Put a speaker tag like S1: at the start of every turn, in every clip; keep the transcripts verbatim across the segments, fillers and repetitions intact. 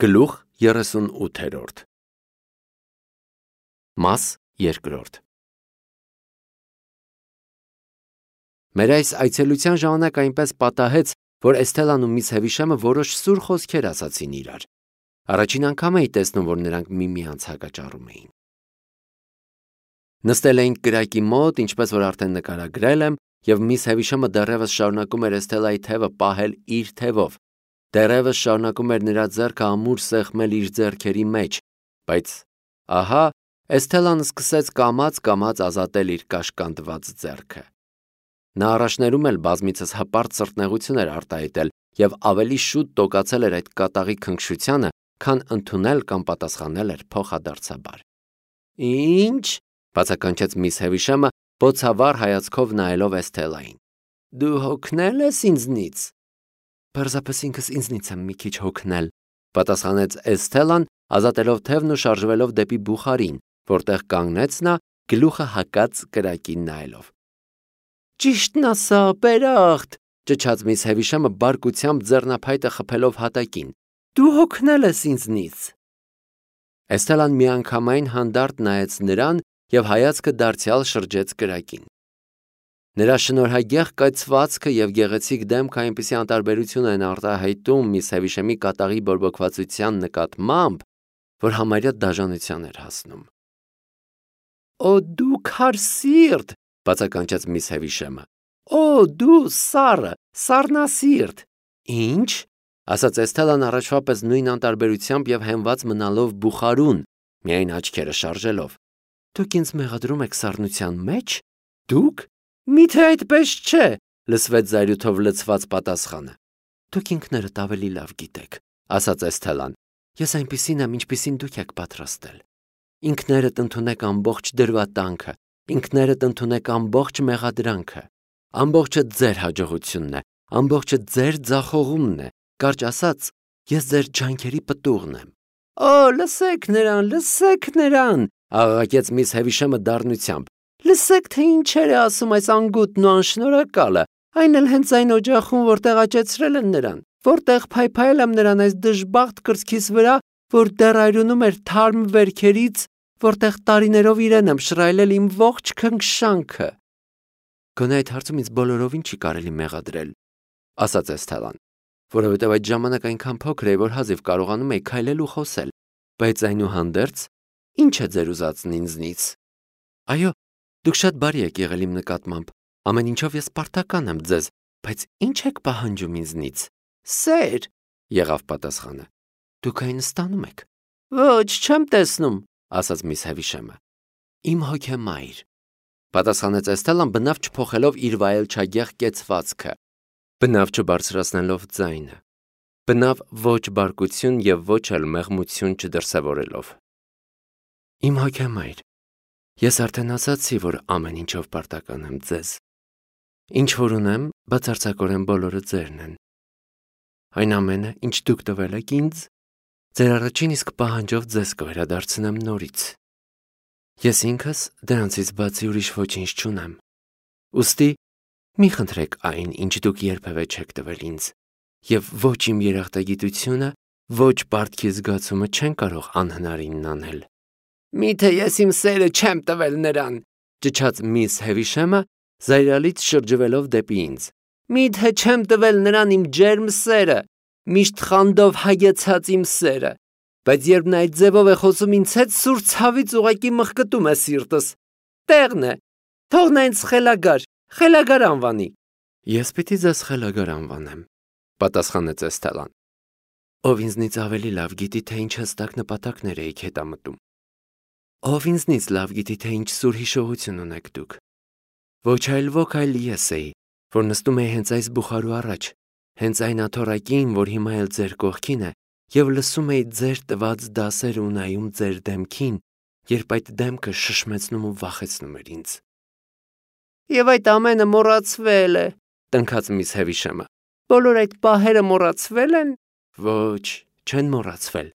S1: Գլուխ երեսունութերորդ Մաս երկրորդ Մեր այս այցելության ժամանակ այնպես պատահեց, որ Էսթելան ու միս Հևիշամը որոշ սուր խոսքեր ասացին իրար։ Առաջին անգամ էի տեսնում, որ նրանք միմյանց հակաճառում էին։ Նստել էինք կրակի մոտ, ինչպես որ արդեն նկարագրել եմ, եւ միս Հևիշամը դեռևս շարունակում էր Էսթելայի թևը պահել իր թևով, դեռևս շարունակում էր նրա ձեռքը ամուր սեղմել իր ձեռքերի մեջ, բայց ահա Էսթելան սկսեց կամաց-կամաց ազատել իր կաշկանդված ձեռքը։ Նա առաջներում էլ բազմիցս հպարտ սրտնեղություն էր արտահայտել եւ ավելի շուտ տոկացել էր այդ կատաղի քնքշությանը, քան ընդունել կամ պատասխանել էր փոխադարձաբար։ Ինչ, բացականչեց միս Հևիշամը, բոցավառ հայացքով նայելով Էսթելային։ Դու հոգնել ես ինձնից։ Պարզապես ինքս ինձնից եմ մի քիչ հոգնել, պատասխանեց Էսթելան, ազատելով թևն ու շարժվելով դեպի բուխարին, որտեղ կանգնեց նա, գլուխը հակած կրակին նայելով։ Ճիշտն ասա, Պերախտ, ճչաց միս Հևիշամը բարկությամբ ձեռնափայտը խփելով հատակին։ Դու հոգնել ես ինձնից։ Էսթելան միանգամայն հանդարտ նայեց նրան եւ հայացքը դարձյալ շրջեց կրակին։ Նրա շնորհագեղ կայծվածքը եւ գեղեցիկ դեմքը այնպիսի անտարբերություն են արտահայտում միս Հևիշամի կատաղի բորբոքվածության նկատմամբ, որ համարյա դաժանության էր հասնում։ Օ դու քարսիրտ, բացականչեց միս Հևիշամը։ Օ դու սառը, սառնասիրտ։ Ինչ, ասաց Էսթելան առաջվա պես նույն անտարբերությամբ եւ հենված մնալով բուխարուն, միայն աչքերը շարժելով։ Դուք ինձ մեղադրում եք սառնության մեջ։ Դուք։ Միթե այդպես չէ, լսվեց զայրույթով լցված պատասխանը։ Դուք ինքներդ ավելի լավ գիտեք, ասաց Էսթելան։ Ես այնպիսին եմ, ինչպիսին դուք եք պատրաստել։ Ինքներդ ընդունեք ամբողջ դրվատանքը, ինքներդ ընդունեք ամբողջ մեղադրանքը։ Ամբողջը ձեր հաջողությունն է, ամբողջը ձեր ձախողումն է, կարճ ասած, ես ձեր ջանքերի պտուղն եմ։ Օ, լսեք նրան, լսեք նրան, աղաղակեց միս Հևիշամը դառնությամբ։ Լսեք, թե ինչեր է ասում այս անգութն ու անշնորհակալը, այն էլ հենց այն օջախում, որտեղ աճեցրել են նրան, որտեղ փայփայել եմ նրան այս դժբախտ կրծքիս վրա, որ դեռ այրունում էր թարմ վերքերից, որտեղ տարիներով իրեն եմ շռայլել իմ ողջ քնքշանքը։ Գոնե այդ հարցում ինձ բոլորովին չի կարելի մեղադրել, ասաց Էսթելան, որովհետև այդ ժամանակ այնքան փոքր էի, որ հազիվ կարողանում էի քայլել ու խոսել, բայց այնուհանդերձ, ինչ է ձեր ուզածն ինձնից։ Այո, դուք շատ բարի եք եղել իմ նկատմամբ, ամեն ինչով ես պարտական եմ ձեզ, բայց ինչ եք պահանջում ինձնից։ Սեր, եղավ պատասխանը։ Դուք այն ստանում եք։ Ոչ, չեմ տեսնում, ասաց միս Հևիշամը։ Իմ հոգեմայր, պատասխանեց Էսթելան բնավ չփոխելով իր վայելչագեղ կեցվածքը, բնավ չբարձրացնելով ձայնը, բնավ ոչ բարկություն եւ ոչ էլ մեղմություն չդրսևորելով։ Իմ հոգեմայր, ես արդեն ասացի, որ ամեն ինչով պարտական եմ ձեզ։ Ինչ որ ունեմ, բացարձակորեն բոլորը ձերն են։ Այն ամենը, ինչ դուք տվել եք ինձ, ձեր առաջին իսկ պահանջով ձեզ կվերադարձնեմ նորից։ Ես ինքս դրանցից բացի ուրիշ ոչինչ չունեմ։ Ուստի մի խնդրեք այն, ինչ դուք երբևէ չեք տվել ինձ, եւ ոչ իմ երախտագիտությունը, ոչ պարտքի զգացումը չեն կարող անհնարինն անել։ Միթե ես իմ սերը չեմ տվել նրան, ճչաց միս Հևիշամը, զայրալից շրջվելով դեպի ինձ։ Միթե չեմ տվել նրան իմ ջերմ սերը, միշտ խանդով հագեցած իմ սերը, բայց երբ նա այդ ձևով է խոսում ինձ հետ, սուր ցավից ուղակի մխկտում է սիրտս։ Տեղն է, թող նա ինձ խելագար, խելագար անվանի։ Ես պիտի ձեզ խելագար անվանեմ, պատասխանեց Էսթելան, ով ինձնից ավելի լավ գիտի, թե ինչ հստակ նպատակներ եք հետամտում։ Ով ինձնից լավ գիտի, թե ինչ սուր հիշողություն ունեք դուք։ Ոչ այլ ոք այլ ես էի, որ նստում էի հենց այս բուխարու առաջ, հենց այն աթոռակին, որ հիմա էլ ձեր կողքին է, եւ լսում էի ձեր տված դասեր ու նայում ձեր դեմքին, երբ այդ դեմքը շշմեցնում ու վախեցնում էր ինձ։ Եվ այդ ամենը մոռացվել է, տնքաց միս Հևիշամը։ Բոլոր այդ պահերը մոռացվել են։ Ոչ, չեն մոռացվել,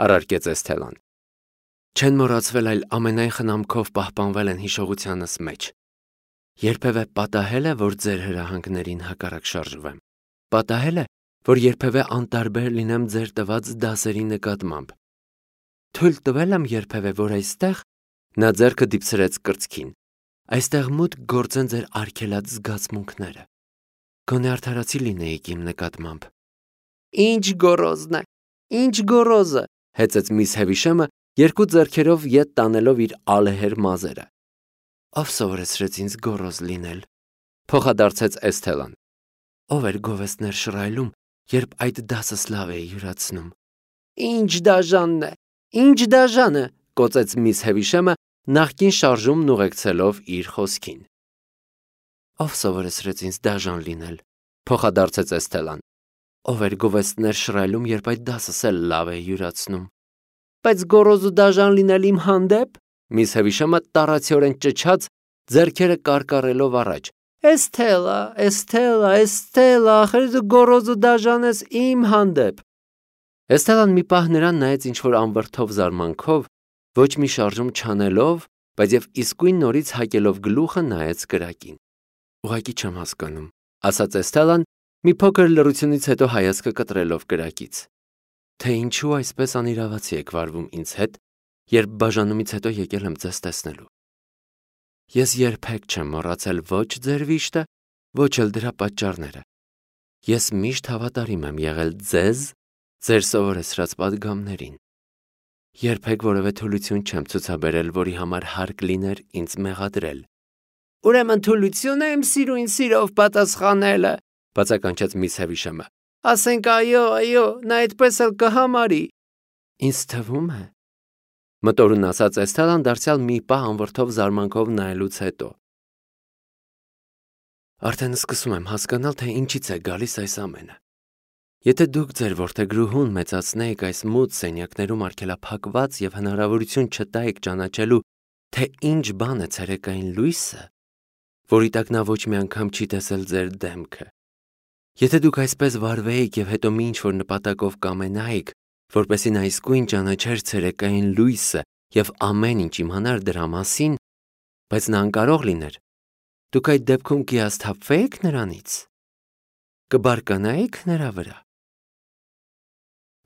S1: առարկեց Էսթելան։ Չեն մոռացվել, այլ ամենայն խնամքով պահպանվել են հիշողությանս մեջ։ Երբևէ պատահել է, որ ձեր հրահանգներին հակառակ շարժվեմ։ Պատահել է, որ երբևէ անտարբեր լինեմ ձեր տված դասերի նկատմամբ։ Թույլ տվել եմ երբևէ, որ այստեղ, նա ձեռքը դիպցրեց կրծքին, այստեղ մուտք գործեն ձեր արգելած զգացմունքները։ Գոնե արդարացի լինեիք իմ նկատմամբ։ Ինչ գոռոզն է, ինչ գոռոզը, հեծեց միս Հևիշեմը, երկու ձեռքերով ետ տանելով իր ալեհեր մազերը։ Ով սովորեցրեց ինձ գոռոզ լինել, փոխադարձեց Էսթելան։ Ով էր գովեստներ շռայլում, երբ այդ դասս լավ է յուրացնում։ Ինչ դաժանն է, ինչ դաժանը, կոծեց միս Հևիշեմը, նախկին շարժումն ուղեկցելով իր խոսքին։ Ով սովորեցրեց ինձ դաժան լինել, փոխադարձեց Էսթելան։ Ով էր գովեստներ շռայլում, երբ այդ դասս էլ լավ է յուրացնում։ Բայց գոռոզ ու դաժան լինել իմ հանդեպ, միս Հևիշեմը տառացիորեն ճչաց, ձեռքերը կարկառելով առաջ։ Էսթելա, Էսթելա, Էսթելա, ախր դու գոռոզ ու դաժան ես իմ հանդեպ։ Էսթելան մի պահ նրան նայեց ինչ-որ անվրդով զարմանքով, ոչ մի շարժում չանելով, բայց եւ իսկույն նորից հակելով գլուխը նայեց կրակին։ Ուղղակի չեմ հասկանում, ասաց Էսթելան, մի փոքր լռությունից հետո հայացքը կտրելով կրակից, թե ինչու այսպես անիրավացի եք վարվում ինձ հետ, երբ բաժանումից հետո եկել եմ ձեզ տեսնելու։ Ես երբեք չեմ մոռացել ոչ ձեր վիշտը, ոչ էլ դրա պատճառները։ Ես միշտ հավատարիմ եմ եղել ձեզ, ձեր սովորեցրած պատգամներին։ Երբեք որևէ թուլություն չեմ ցուցաբերել, որի համար հարկ լիներ ինձ մեղադրել։ Ուրեմն թուլություն է իմ սիրուն սիրով պատասխանելը, բացականչեց միս Հևիշեմը։ Ասենք այո, այո, նա այդպես էլ կհամարի։ Ինձ թվում է, մտորուն ասաց Էսթելան դարձյալ մի պահ անվրդով զարմանքով նայելուց հետո։ Արդեն սկսում եմ հասկանալ, թե ինչից է գալիս այս ամենը։ Եթե դուք ձեր որդեգրուհուն մեծացնեիք այս մութ սենյակներում արգելափակված եւ հնարավորություն չտայիք ճանաչելու, թե ինչ բան է ցերեկային լույսը, որի տակ նա ոչ մի անգամ չի տեսել ձեր դեմքը։ Եթե դուք այսպես վարվեիք եւ հետո մի ինչ-որ նպատակով կամենայիք, որպեսզի նա իսկույն ճանաչեր ցերեկային լույսը եւ ամեն ինչ իմանար դրա մասին, բայց նա անկարող լիներ, դուք այդ դեպքում կհիասթափվեիք նրանից, կբարկանայիք նրա վրա։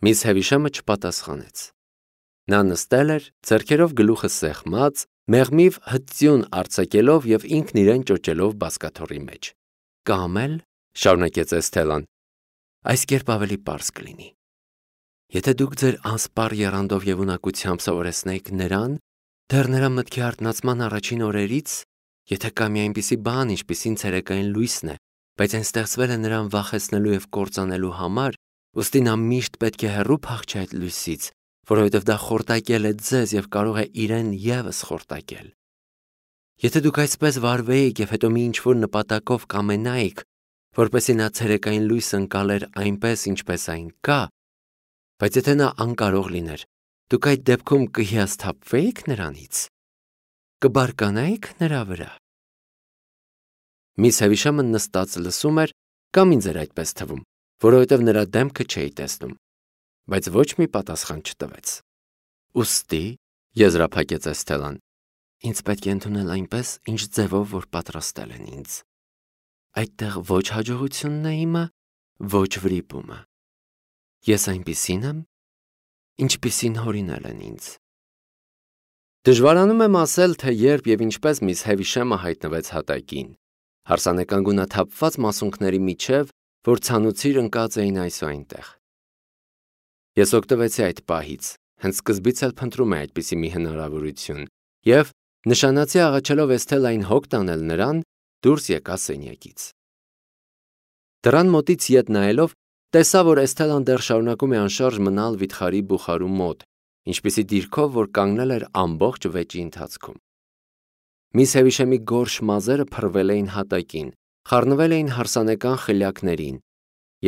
S1: Միս Հևիշեմը չպատասխանեց։ Նա նստել էր, ձեռքերով գլուխը սեղմած, մեղմիվ հծյուն արձակելով եւ ինքն իրեն ճոճելով բազկաթոռի մեջ։ Կամ էլ, շարունակեց Էսթելան, այս կերպ ավելի պարզ կլինի։ Եթե դուք ձեր անսպառ եռանդով եւ ունակությամբ սովորեցնեիք նրան, դեռ նրա մտքի արթնացման առաջին օրերից, եթե կա մի այնպիսի բան, ինչպիսին ցերեկային լույսն է, բայց այն ստեղծվել է նրան վախեցնելու եւ կործանելու համար, ուստի նա միշտ պետք է հեռու փախչի այդ լույսից, որովհետև դա խորտակել է ձեզ եւ կարող է իրեն եւս խորտակել։ Եթե դուք այսպես վարվեիք եւ հետո մի ինչ-որ նպատակով կամենայիք, որպեսզի նա ցերեկային լույս ընկալեր այնպես, ինչպես այն կա, բայց եթե նա անկարող լիներ, դուք այդ դեպքում կհիասթափվեիք նրանից, կբարկանայիք նրա վրա։ Միս Հևիշեմը նստած լսում էր, կամ ինձ էր այդպես թվում, որովհետև նրա դեմքը չէի տեսնում, բայց ոչ մի պատասխան չտվեց։ Ուստի, եզրափակեց Էսթելան, ինձ պետք է ընդունել այնպես, ինչ ձևով որ պատրաստել են ինձ։ Այդտեղ ոչ հաջողությունն է իմը, ոչ վրիպումը։ Ես այնպիսին եմ, ինչպիսին հորինել են ինձ։ Դժվարանում եմ ասել, թե երբ եւ ինչպես միս Հևիշեմը հայտնվեց հատակին, հարսանեկան գունաթափված մասունքների միջև, որ ցանուցիր ընկած էին այսուայնտեղ։ Ես օգտվեցի այդ պահից, հենց սկզբից էլ փնտրում էի այդպիսի մի հնարավորություն, եւ նշանացի աղաչելով Էսթելային հոգ տանել նրան, դուրս եկա սենյակից։ Դռան մոտից ետ նայելով, տեսա, որ Էսթելան դեռ շարունակում է անշարժ մնալ վիթխարի բուխարու մոտ, ինչպիսի դիրքով, որ կանգնել էր ամբողջ վեճի ընթացքում։ Միս Հևիշեմի գորշ մազերը փռվել էին հատակին, խառնվել էին հարսանեկան խլյակներին,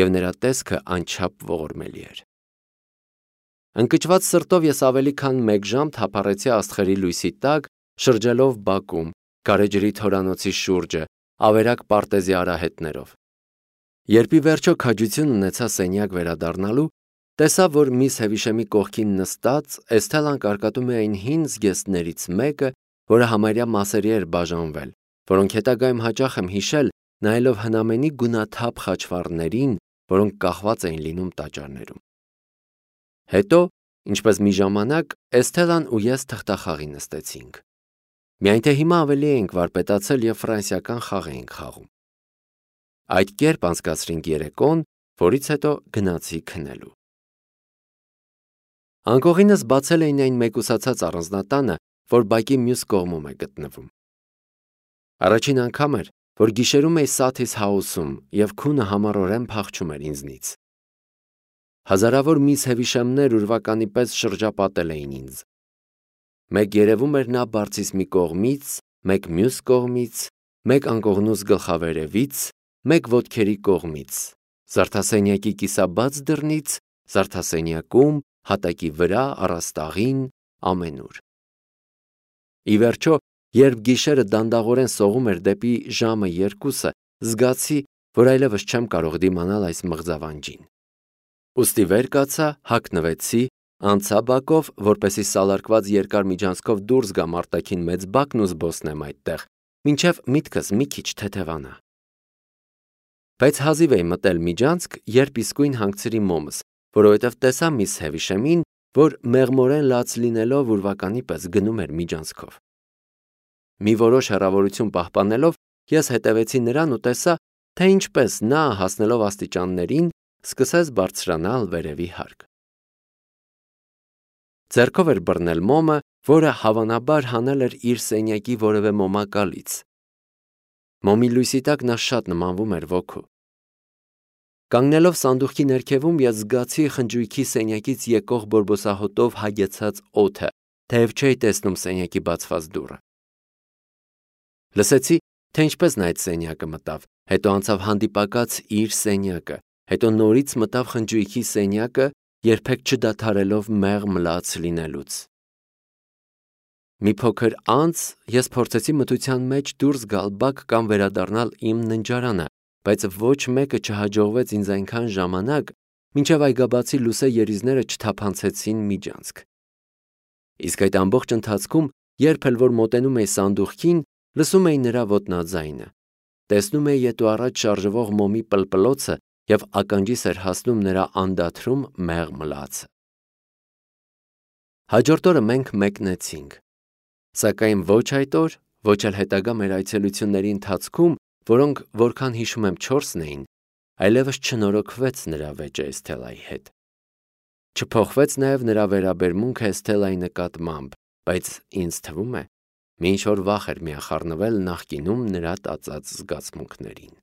S1: եւ նրա տեսքը անչափ ողորմելի էր։ Ընկճված սրտով ես ավելի քան մեկ ժամ թափառեցի աստղերի լույսի տակ, շրջելով բակում, գարեջրի թորանոցի շուրջը, ավերակ պարտեզի արահետներով։ Երբ ի վերջո քաջություն ունեցա սենյակ վերադառնալու, տեսա, որ միս Հևիշեմի կողքին նստած Էսթելան կարկատում է այն հին զգեստներից մեկը, որը համարյա մասերի էր բաժանվել, որոնք հետագայում հաճախ եմ հիշել, նայելով հնամենի գունաթափ խաչվառներին, որոնք կախված էին լինում տաճարներում։ Հետո, ինչպես մի ժամանակ, Էսթելան ու ես թղթախաղի նստեցինք։ Միայն թե հիմա ավելի էինք վարպետացել և ֆրանսիական խաղ էինք խաղում։ Այդ կերպ անցկացրինք երեկոն, որից հետո գնացի քնելու։ Անկողինս բացել էին այն մեկուսացած առանձնատանը, որ բակի մյուս կողմում է գտնվում։ Առաջին անգամ էր, որ գիշերում էի Սաթիս Հաուսում և քունը համառորեն փախչում էր ինձնից։ Հազարավոր միս Հևիշամներ ուրվականի պես շրջապատել էին ինձ։ Մեկ երևում էր նա բարձից մի կողմից, մեկ մյուս կողմից, մեկ անկողնուս գլխավերևից, մեկ ոտքերի կողմից, զարդասենյակի կիսաբաց դռնից, զարդասենյակում, հատակի վրա, առաստաղին, ամենուր։ Ի վերջո, երբ գիշերը դանդաղորեն սողում էր դեպի ժամը երկուսը, զգացի, որ այլևս չեմ կարող դիմանալ այս մղձավանջին։ Ուստի վեր կացա, հագնվեցի, անցա բակով, որպեսզի սալարկված երկար միջանցքով դուրս գամ արտաքին մեծ բակն ու զբոսնեմ այդտեղ, մինչև միտքս մի քիչ թեթևանա։ Բայց հազիվ էի մտել միջանցք, երբ իսկույն հանգցրի մոմս, որովհետև տեսա միս Հևիշամին, որ մեղմորեն լաց լինելով ուրվականի պես գնում էր միջանցքով։ Մի որոշ հեռավորություն պահպանելով, ես հետևեցի նրան ու տեսա, թե ինչպես նա, հասնելով աստիճաններին, սկսեց բարձրանալ վերևի հարկ։ Ձեռքով էր բռնել մոմը, որը հավանաբար հանել էր իր սենյակի որևէ մոմակալից։ Մոմի լույսի տակ նա շատ նմանվում էր ոգու։ Կանգնելով սանդուղքի ներքևում, ես զգացի խնջույքի սենյակից եկող բորբոսահոտով հագեցած օդը, թեև չէի տեսնում սենյակի բացված դուռը։ Լսեցի, թե ինչպես նա այդ սենյակը մտավ, հետո անցավ հանդիպակաց իր սենյակը, հետո նորից մտավ խնջույքի սենյակը, երբեք չդադարելով մեղմ լաց լինելուց։ Մի փոքր անց ես փորձեցի մթության մեջ դուրս գալ բակ կամ վերադառնալ իմ ննջարանը, բայց ոչ մեկը չհաջողվեց ինձ այնքան ժամանակ, մինչև այգաբացի լուսե երիզները չթափանցեցին միջանցք։ Իսկ այդ ամբողջ ընթացքում, երբ էլ որ մոտենում էի սանդուղքին, լսում էի նրա ոտնաձայնը, տեսնում էի ետ ու առաջ շարժվող մոմի պլպլոցը և ականջիս էր հասնում նրա անդադրում մեղմ լացը։ Հաջորդ օրը մենք մեկնեցինք, սակայն ոչ այդ օր, ոչ էլ հետագա մեր այցելությունների ընթացքում, որոնք, որքան հիշում եմ, չորսն էին, այլևս չնորոգվեց նրա վեճը Էսթելայի հետ։ Չփոխվեց նաև նրա վերաբերմունքը Էսթելայի նկատմամբ, բայց ինձ թվում է, մի ինչ-որ վախ էր միախառնվել նախկինում նրա տածած զգացմունքներին։